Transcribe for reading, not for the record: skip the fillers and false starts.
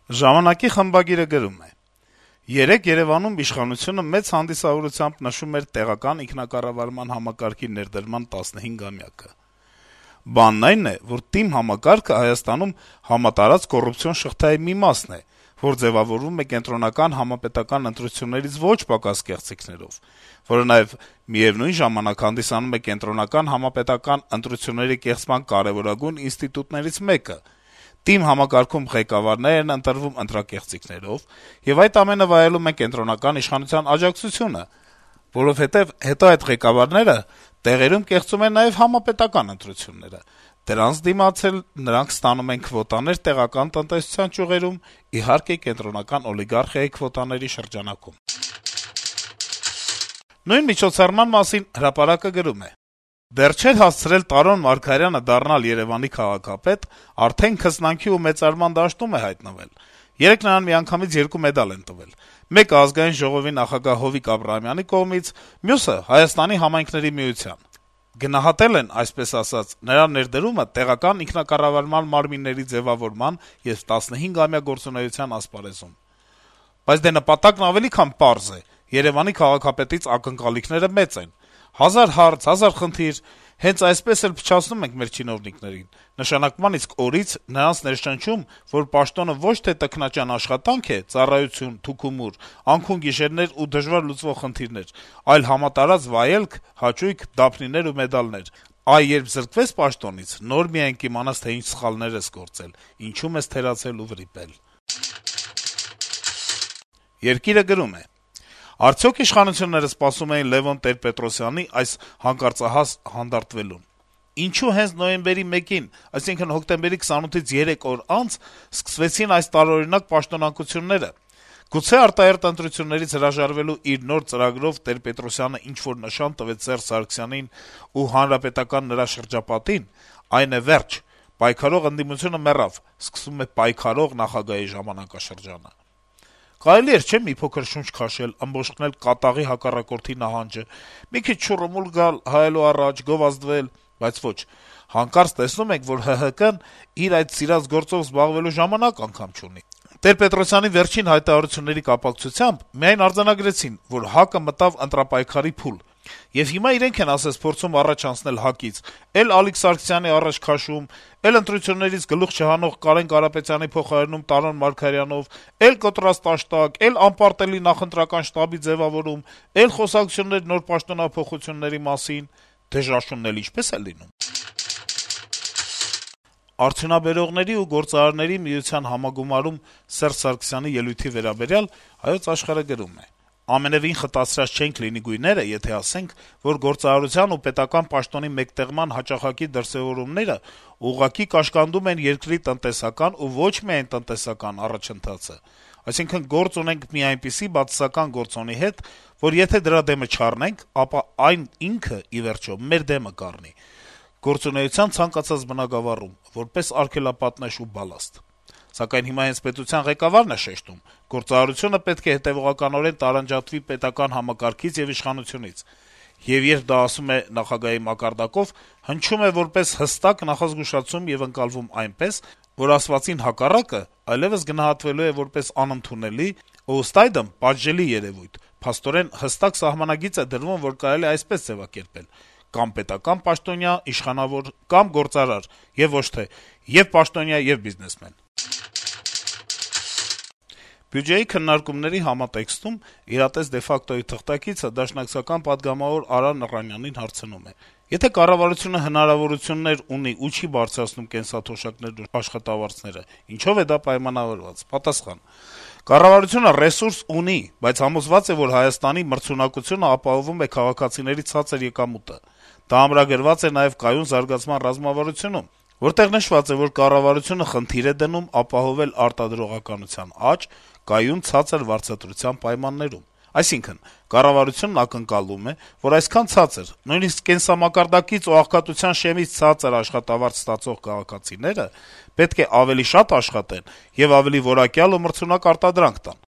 Ժամանակի խմբագիրը գրում է. - «Երեկ Երեւանում իշխանությունը մեծ հանդիսավորությամբ նշում էր տեղական ինքնակառավարման համակարգի ներդրման 15-ամյակը: Բանն այն է, որ ՏԻՄ համակարգը Հայաստանում համատարած կոռուպցիոն շղթայի մի մասն է, որ ձեւավորվում է կենտրոնական համապետական ընտրություններից ոչ պակաս կեղծիքներով, որը նաեւ միեւնույն ժամանակ հանդիսանում է կենտրոնական համապետական ընտրությունների կեղծման կարեւորագույն ինստիտուտներից մեկը: ՏԻՄ համակարգում ղեկավարներ են ընտրվում ընտրակեղծիքներով, եւ այդ ամենը վայելում են կենտրոնական իշխանության աջակցությունը, որովհետեւ հետո այդ ղեկավարները տեղերում կեղծում են նաեւ համապետական ընտրությունները: Դրանց դիմաց էլ նրանք ստանում են քվոտաներ տեղական տնտեսության ճյուղերում, իհարկե, կենտրոնական օլիգարխիայի քվոտաների շրջանակում»: Նույն միջոցառման մասին «Հրապարակ»-ը գրում է. - «Դեռ չէր հասցրել Տարոն Մարգարյանը դառնալ Երեւանի քաղաքապետ, արդեն քծնանքի ու մեծարման դաշտում է հայտնվել: Երեկ նրան միանգամից 2 մեդալ են տվել: Մեկը Ազգային ժողովի նախագահ Հովիկ Աբրահամյանի կողմից, մյուսը Հայաստանի համայնքների միության: Գնահատել են, այսպես ասած, նրա ներդրումը տեղական ինքնակառավարման մարմինների ձեւավորման եւ 15-ամյա գործունեության ասպարեզում: Բայց դե նպատակն ավելի քան պարզ է: Երեւանի քաղաքապետից ակնկալիքները մեծ են: 1000 հարց, 1000 խնդիր: Հենց այսպես էլ փչացնում ենք մեր չինովնիկներին: Նշանակման իսկ օրից նրանց ներշնչում, որ պաշտոնը ոչ թե տքնաջան աշխատանք է, ծառայություն, թուքումուր, անքուն գիշերներ ու դժվար լուծվող խնդիրներ, այլ համատարած վայելք, հաճույք, դափնիներ ու մեդալներ: Այ երբ զրկվես պաշտոնից, նոր միայն կիմանաս, թե ինչ սխալներ ես գործել, ինչում ես թերացել ու վրիպել»: «Երկիր»-ը գրում է. - «Արդյո՞ք իշխանությունները սպասում էին Լեւոն Տեր-Պետրոսյանի այս հանկարծահաս հանդարտվելուն: Ինչո՞ւ հենց նոյեմբերի 1-ին, այսինքն` հոկտեմբերի 28-ից 3 օր անց սկսվեցին այս տարօրինակ պաշտոնանկությունները: Գուցե արտահերթ ընտրություններից հրաժարվելու իր նոր ծրագրով Տեր-Պետրոսյանը ինչ-որ նշան տվեց Սերժ Սարգսյանին ու հանրապետական նրա շրջապատին: Այն է, վերջ: Պայքարող ընդդիմությունը մեռավ, սկսվում է պայքարող նախագահի ժամանակաշրջանը: Կարելի էր, չէ՞, մի փոքր շունչ քաշել, ըմբոշխնել կատաղի հակառակորդի նահանջը, մի քիչ շուռումուռ գալ հայելու առաջ, գովազդվել: Բայց ոչ: Հանկարծ տեսնում ենք, որ ՀՀԿ-ն իր այդ սիրած գործով զբաղվելու ժամանակ անգամ չունի: Տեր-Պետրոսյանի վերջին հայտարարությունների կապակցությամբ միայն արձանագրեցին, որ ՀԱԿ-ը մտավ ընտրապայքարի փուլ: Եվ հիմա իրենք են ասես փորձում առաջ անցնել ՀԱԿ-ից, էլ Ալիկ Սարգսյանի առաջ քաշում, էլ ընտրություններից գլուխ չհանող Կարեն Կարապետյանի փոխարինում Տարոն Մարգարյանով, էլ կոտրած տաշտակ, էլ անպարտելի նախընտրական շտաբի ձեւավորում, էլ խոսակցություններ նոր պաշտոնափոխությունների մասին: Դե ժաշունն էլ ինչպե՞ս է լինում»: Արդյունաբերողների ու գործարարների միության համագումարում Սերժ Սարգսյանի ելույթի վերաբերյալ «Հայոց Աշխարհ»-ը գրում է. - «Ամենեւին խտացրած չենք լինի գույները, եթե ասենք, որ գործարարության ու պետական պաշտոնի մեկտեղման հաճախակի դրսեւորումները ուղղակի կաշկանդում են երկրի տնտեսական ու ոչ միայն տնտեսական առաջընթացը: Այսինքն` գործ ունենք մի այնպիսի բացասական գործոնի հետ, որ եթե դրա դեմը չառնենք, ապա այն ինքը, ի վերջո, մեր դեմը կառնի գործունեության ցանկացած բնագավառում, որպես արգելապատնեշ ու բալաստ: Սակայն հիմա հենց պետության ղեկավարն է շեշտում. գործարարությունը պետք է հետեւողականորեն տարանջատվի պետական համակարգից եւ իշխանությունից: Եվ երբ դա ասում է նախագահի մակարդակով, հնչում է որպես հստակ նախազգուշացում եւ ընկալվում այնպես, որ ասվածին հակառակը այլեւս գնահատվելու է որպես անընդունելի ու, ըստ այդմ, պատժելի երեւույթ: Փաստորեն, հստակ սահմանագիծ է դրվում, որ կարելի է այսպես ձեւակերպել. կամ պետական պաշտոնյա, իշխանավոր, կամ գործարար, եւ ոչ թե ե'ւ պաշտոնյա, ե'ւ բիզնեսմեն»: Բյուջեի քննարկումների համատեքստում «Իրատես de facto»-ի թղթակիցը դաշնակցական պատգամավոր Արա Նռանյանին հարցնում է. - «Եթե կառավարությունը հնարավորություններ ունի ու չի բարձրացնում կենսաթոշակներն ու աշխատավարձերը, ինչո՞վ է դա պայմանավորված»: Պատասխան. - «Կառավարությունը ռեսուրս ունի, բայց համոզված է, որ Հայաստանի մրցունակությունը ապահովում է քաղաքացիների ցածր եկամուտը: Դա ամրագրված է նաեւ կայուն զարգացման ռազմավարությունում, որտեղ նշված է, որ կառավարությունը խնդիր է դնում ապահովել արտադրողականության աճ կայուն ցածր վարձատրության պայմաններում: Այսինքն, կառավարությունն ակնկալում է, որ այսքան ցածր, նույնիսկ կենսամակարդակից ու աղքատության շեմից ցածր աշխատավարձ ստացող քաղաքացիները պետք է ավելի շատ աշխատեն եւ ավելի որակյալ ու մրցունակ արտադրանք տան: